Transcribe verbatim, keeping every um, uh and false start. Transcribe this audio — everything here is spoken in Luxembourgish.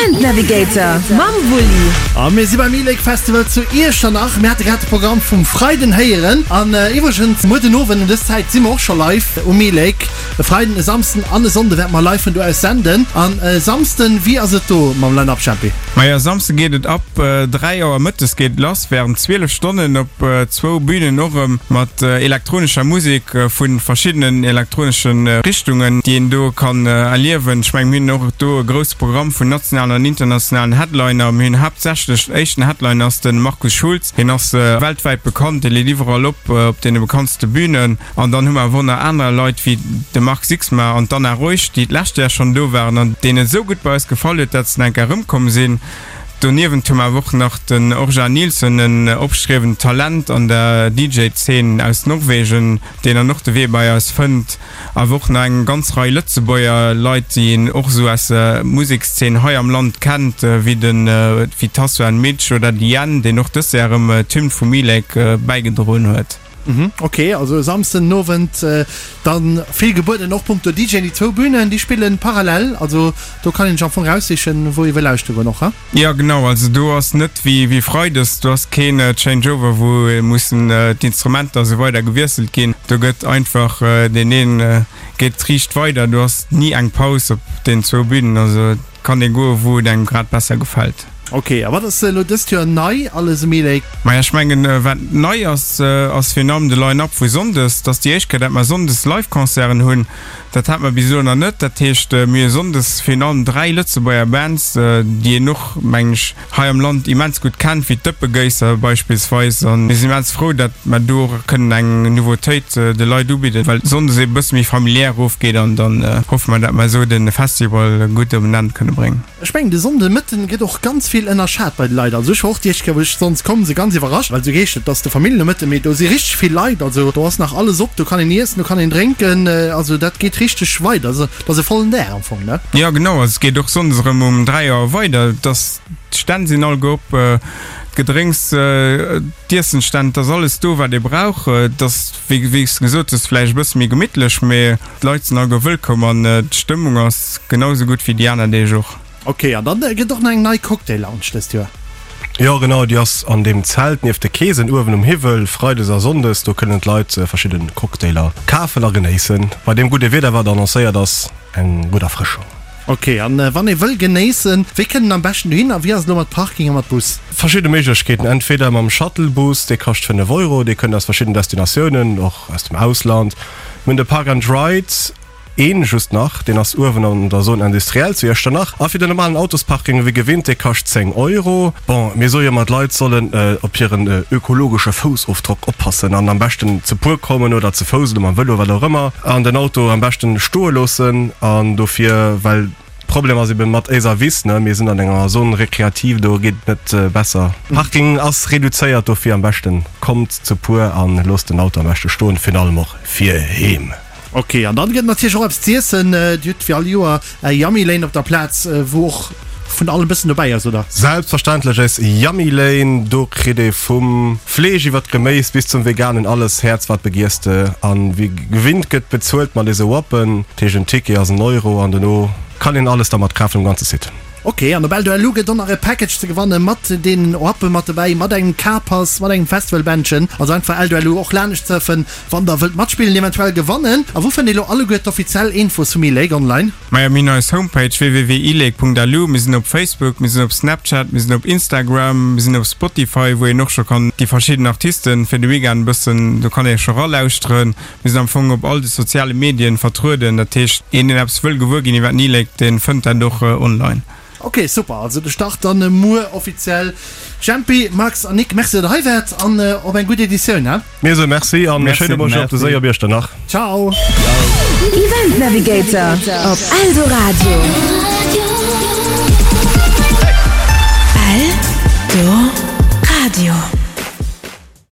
Event Navigator mam Wulli. A mir si beim E-Lake Festival zu Iechternach. Mir hate grad de Programm vum Freiden héieren. An iwwregens, muer den Owend un dës Zäit si mer och scho live um E-Lake. E Freiden, e Samsden an e Sonnde wäerte mer live vun do aus senden. An e Samsden, wéi ass et do mam Line-Up, Jempi? Majo, e Samsde geet et ab dräi Auer mëttes geet et lass, wärend zwielef Stonnen op zwou Bünen och erëm mat elektronescher Musek vu verschiddenen elektronesche Richtungen, déi een do kann erliewen. Ech mengen, mir hunn och do e grousse Programm vun nationalen an internationalen Headliner. Mir hunn haaptsächlech, den éischten Headliner ass de Markus Schulz, hien ass weltwäit bekannt, dee leet iwwerall op, op deene bekanntste Bünen. An dann hu mer awer och nach aner Leit wéi de Marc Sixma an d'Anna Reusch, déi d'lescht Joer schonn do waren an deenen et esou gutt bei eis gefall huet, dat se nach eng Kéier erëmkomm sinn. Doniewent hu mer awer och nach den Orjan Nilsen, en opstriewend Talent an der D J-Zeen aus Norwegen, deen dann och de Wee bei eis fënnt. Awer och nach eng ganz Rei Lëtzebuerger Leit, déi een och esou aus der Musekszeen hei am Land kennt, wéi den wéi Tasso and Mitch oder de Yen, deen och dës Joer erëm d'Hymn vum E-Lake bäigedroen huet. Mhm, ok, also e Samsden den Owend dann vill gebueden, och punkto D J. Déi zwou Bünen, déi spillen parallel, also do kann een sech am Fong raussichen, wou ee wëll lauschtere goen och, he? Jo genau, also do ass net wéi wéi Freides, do ass keen Changeover, wou mussen d'Instrumenter a sou weider gewiesselt ginn. Do gëtt einfach deen een geet riicht weider, do ass ni eng Paus op den zwou Bünen, also et kann ee goe wou et engem grad besser gefält. Ok, a wat ass elo dëst Joer nei alles um E-Lake? Maja, ech mengen, wat nei ass, ass virun allem de Line-Up vu Sonndes. Et ass déi éischt Kéier, dat mer Sonndes Live-Concerten hunn. Dat hate mer bis elo nach net. Dat heescht, mir hu Sonndes virun allem dräi Lëtzebuerger Bands, déi een och, mengen ech, hei am Land immens gutt kennt, wéi d'Dëppegéisser beispillsweis. A mir sinn immens frou, dat mer do och kënnen eng Nouveautéit de Leit ubidden, well Sonndes ee bësse méi familiär erofgeet. An dann hoffe mer, dat mer esou de Festival gutt op en Enn kënne bréngen. Ech mengen de Sonnde Mëtten gëtt och ganz vill ënnerschat bei de Leit. Also ech war och déi éischt Kéier wou ech sonndes komm sinn ganz iwwerrascht, well esou geescht et ass de Familljenomëtten, mee do si richteg vill Leit. Also do ass nach alles op, do kann een iessen, do kann een drénken, also dat geet richteg weider. Also et ass e vollen Dag am Fong, ne? Jo genau, also et geet och sonndes erëm um dräi Auer weider. Et ass, d'Stänn sinn all op, d'Gedrénks, d'Iessensstänn, et ass alles do wat ee brauch. Et ass wéi wéi s de gesot hues vläicht e bësse méi gemittlech, mee d'Leit sinn alleguer wëllkomm an d'Stëmmung ass genau esou gutt wéi déi aner Deeg och. Ok, an dann gëtt och nach eng nei Cocktail Lounge dëst Joer. Jo genau, déi ass an deem Zelt nieft de Keesen uewen um Hiwwel, freides a sonndes. Do kënnen d'Leit verschidde Cocktailer kafen a genéissen. Bei deem gudde Wieder wat annoncéiert ass, eng gutt Erfrëschung. Ok, an wann ee wëll genéissen, wéi kënnt en am beschten dohin a wéi ass et elo mat Parking a mat Bus? Verschidde Méiglechkeeten, entweder mam Shuttlebus, dee kascht fënnef Euro, dee kënnt aus verschidden Destinatiounen, och aus dem Ausland. Mir hunn de Park and Ride. Een just nach, deen ass uewen an der Zone industrielle zu Iechternach. A fir den normalen Autosparking wéi gewinnt, dee kascht zéng Euro. Bon, mir soe jo ëmmer, d'Leit sollen op hiren ökologesche Foussofdrock oppassen an am beschten ze puer kommen oder ze Fouss oder mam Vëlo, wat och ëmmer, an den Auto am beschten stoe loossen. An dofir, well Problem ass eben mat éiser Wiss, ne, mir sinn an enger Zone récréative, do geet et net besser. Parking ass reduzéiert, dofir am beschten kommt ze puer an loosst den Auto am beschte stoen, virun allem och fir heem. Ok, an dann gëtt natierlech och eppes z'iessen. Dir hutt wéi all Joer är Yummy Lane op der Plaz, wou och vun allem bëssen dobäi ass, oder? Selbstverständlech, eis Yummy Lane, do kritt ee vum Fleesch iwwer d'Geméis bis zum Veganen alles, Häerz wat begiers de. An wéi gewinnt gëtt bezuelt mat eise Wappen, dat heescht en Ticket ass en Euro an dono kann een alles dermat kafen um ganze Site. Ok, an op Eldo L U gëtt och nach e Package ze gewanne mat deenen Wappe mat dobäi, mat engem K-Pass, mat engem Festivalbändchen. Also einfach Eldo L U och laanescht surfen, wann der wëllt matspillen, eventuell gewannen. A wou fënnt ee lo alleguer d'offiziell Infos vum E-Lake online? Majo, mir hunn eis Homepage w w w punkt elake punkt l u, mir sinn op Facebook, mir sinn op Snapchat, mir sinn op Instagram, mir sinn op Spotify, wou een och scho kann déi verschidden Artisten fir de Weekend e bëssen, do kann ee scho ralauschteren. Mir sinn am Fong op all de soziale Medien vertrueden, dat heescht, een deen eppes wëll gewuer ginn iwwer den E-Lake, dee fënnt dat och online. Ok, super, also de Start dann muer offiziell. Jempi, Max an Nick, Merci dat der hei waart an op eng gutt Editioun, he? Mir soe Merci an e schéine Bonjour op de Séi op Iechternach. Ciao! Event Navigator op Eldoradio. Eldoradio.